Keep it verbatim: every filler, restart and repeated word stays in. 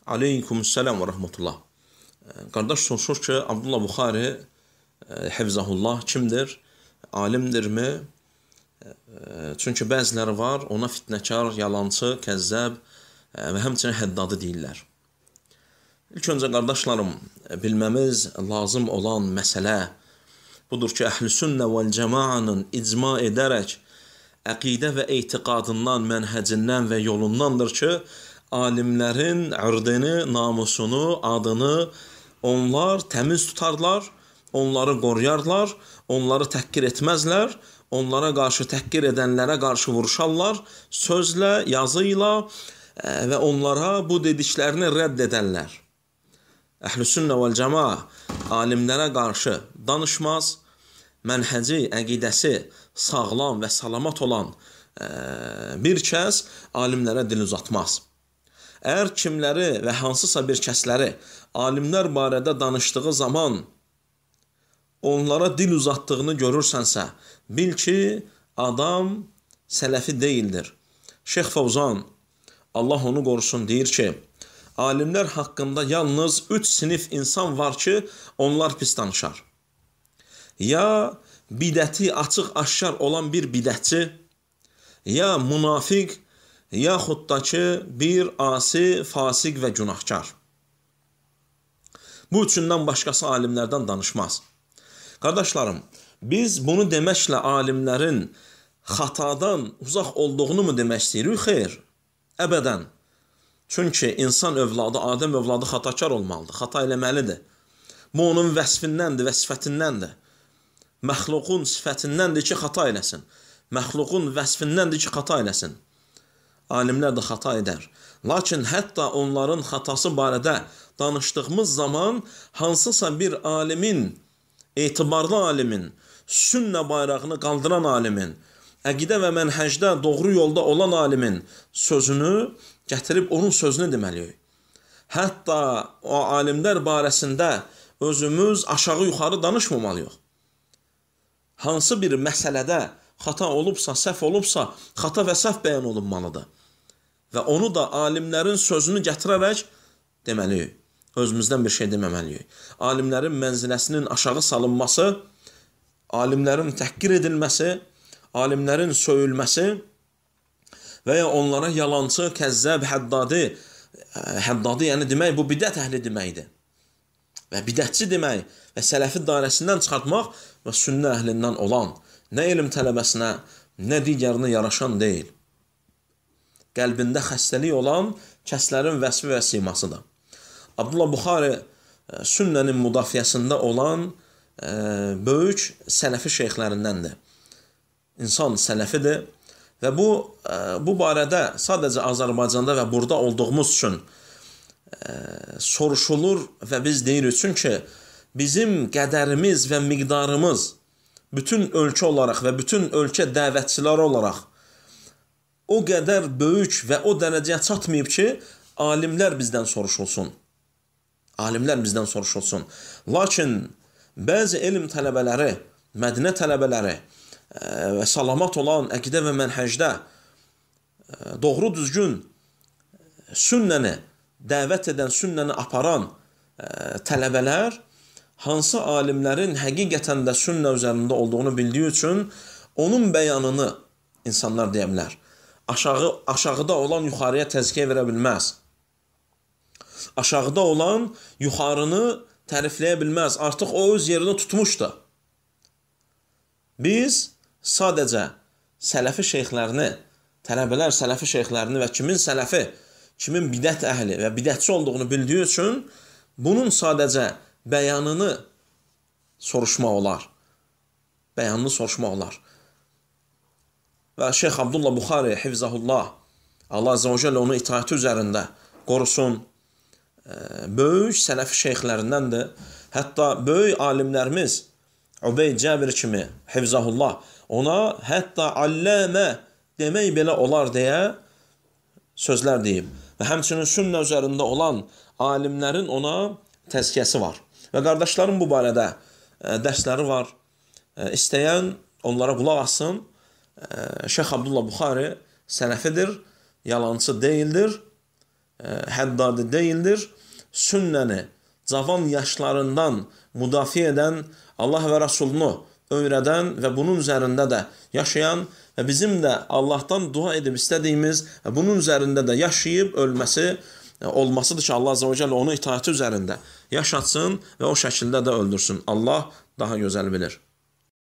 Aleykümselam və rəhmətullah. Qardaş soruşur ki, Abdullah Buxari Hifzahullah kimdir? Alimdirmi? Çünki bəziləri var, ona fitnəkar, yalancı, kəzzəb və həmçinin həddadı deyirlər. İlk öncə qardaşlarım, bilməmiz lazım olan məsələ budur ki, Əhl-i Sünnə vəl-Cəmaanın icma edərək əqidə və etiqadından, mənhəcindən və yolundandır ki, alimlərin ırdını, namusunu, adını onlar təmiz tutarlar, onları qoruyarlar, onları təhqir etməzlər, onlara qarşı təhqir edənlərə qarşı vuruşarlar, sözlə, yazı ilə və onlara bu dediklərini rədd edərlər. Əhl-i Sünnə vəl-Cəmaa alimlərə qarşı danışmaz, mənhəci, əqidəsi sağlam və salamat olan bir kəs alimlərə dil uzatmaz. Əgər kimləri və hansısa bir kəsləri alimlər barədə danışdığı zaman onlara dil uzatdığını görürsənsə, bil ki, adam sələfi deyildir. Şeyx Fəvzan, Allah onu qorusun, deyir ki, alimlər haqqında yalnız üç sinif insan var ki, onlar pis danışar. Ya bidəti açıq-aşkar olan bir bidətçi, ya münafiq, yaxud da ki, bir asi, fasiq və günahkar. Bu üçündən başqası alimlərdən danışmaz. Qardaşlarım, biz bunu deməklə alimlərin xatadan uzaq olduğunu mu demək istəyirik? Xeyr, əbədən. Çünki insan övladı, Adəm övladı xatakar olmalıdır, xata eləməlidir. Bu onun vəsfindəndir və sifətindəndir. Məxluqun sifətindəndir ki, xata eləsin. Məxluqun vəsfindəndir ki, xata eləsin. Alimlər də xata edər. Lakin hətta onların xatası barədə danışdığımız zaman hansısa bir alimin, etibarlı alimin, sünnə bayrağını qaldıran alimin, əqidə və mənhəcdə doğru yolda olan alimin sözünü gətirib onun sözünü deməliyik. Hətta o alimlər barəsində özümüz aşağı-yuxarı danışmamalıyıq. Hansı bir məsələdə xata olubsa, səhv olubsa, xata və səhv bəyan olunmalıdır. Və onu da alimlərin sözünü gətirərək deməliyik. Özümüzdən bir şey deməməliyik. Alimlərin mənziləsinin aşağı salınması, alimlərin təhqir edilməsi, alimlərin söyülməsi və ya onlara yalancı, kəzzəb, həddadi, həddadi yəni demək, bu bidət əhli deməkdir. Və bidətçi demək və sələfi dairəsindən çıxartmaq və sünnə əhlindən olan, nə elm tələbəsinə, nə digərinə yaraşan deyil. Qəlbində xəstəlik olan kəslərin vəsfi və simasıdır. Abdullah Buxari sünnənin müdafiəsində olan e, böyük sələfi şeyxlərindəndir. İnsan sələfidir və bu, e, bu barədə sadəcə Azərbaycanda və burada olduğumuz üçün e, soruşulur və biz deyirik. Çünki bizim qədərimiz və miqdarımız bütün ölkə olaraq və bütün ölkə dəvətçiləri olaraq o qədər böyük və o dərəcəyə çatmayıb ki, alimlər bizdən soruşulsun. Alimlər bizdən soruşulsun. Lakin bəzi elm tələbələri, Mədinə tələbələri və salamat olan əqidə və mənhəcdə doğru düzgün sünnəni, dəvət edən, sünnəni aparan tələbələr hansı alimlərin həqiqətən də sünnə üzərində olduğunu bildiyi üçün onun bəyanını insanlar deyə bilər. Aşağı, aşağıda olan yuxarıya təzkiyə verə bilməz. Aşağıda olan yuxarını tərifləyə bilməz. Artıq o öz yerini tutmuşdur. Biz sadəcə sələfi şeyxlərini, tələbələr sələfi şeyxlərini və kimin sələfi, kimin bidət əhli və bidətçi olduğunu bildiyi üçün bunun sadəcə bəyanını soruşmaq olar. Bəyanını soruşmaq olar. Və Şeyx Abdullah Buxari Hifzahullah, Allah Azə və Cəllə onu itaəti üzərində qorusun, böyük sələfi şeyxlərindəndir. Hətta böyük alimlərimiz Ubeyd Cəbir kimi Hifzahullah ona hətta alləmə demək belə olar deyə sözlər deyib. Və həmçinin sünnə üzərində olan alimlərin ona təzkiyəsi var. Və qardaşlarım bu barədə dərsləri var. İstəyən onlara qulaq assın. Şeyx Abdullah Buxari sələfidir, yalancı deyildir həddadi deyildir. Sünnəni cavan yaşlarından müdafiə edən, Allah və Rasulunu öyrədən və bunun üzərində də yaşayan və bizim də Allahdan dua edib istədiyimiz və bunun üzərində də yaşayıb ölməsi olmasıdır ki, Allah Azze ve Celle onu itaati üzərində yaşatsın və o şəkildə də öldürsün. Allah daha gözəl bilir.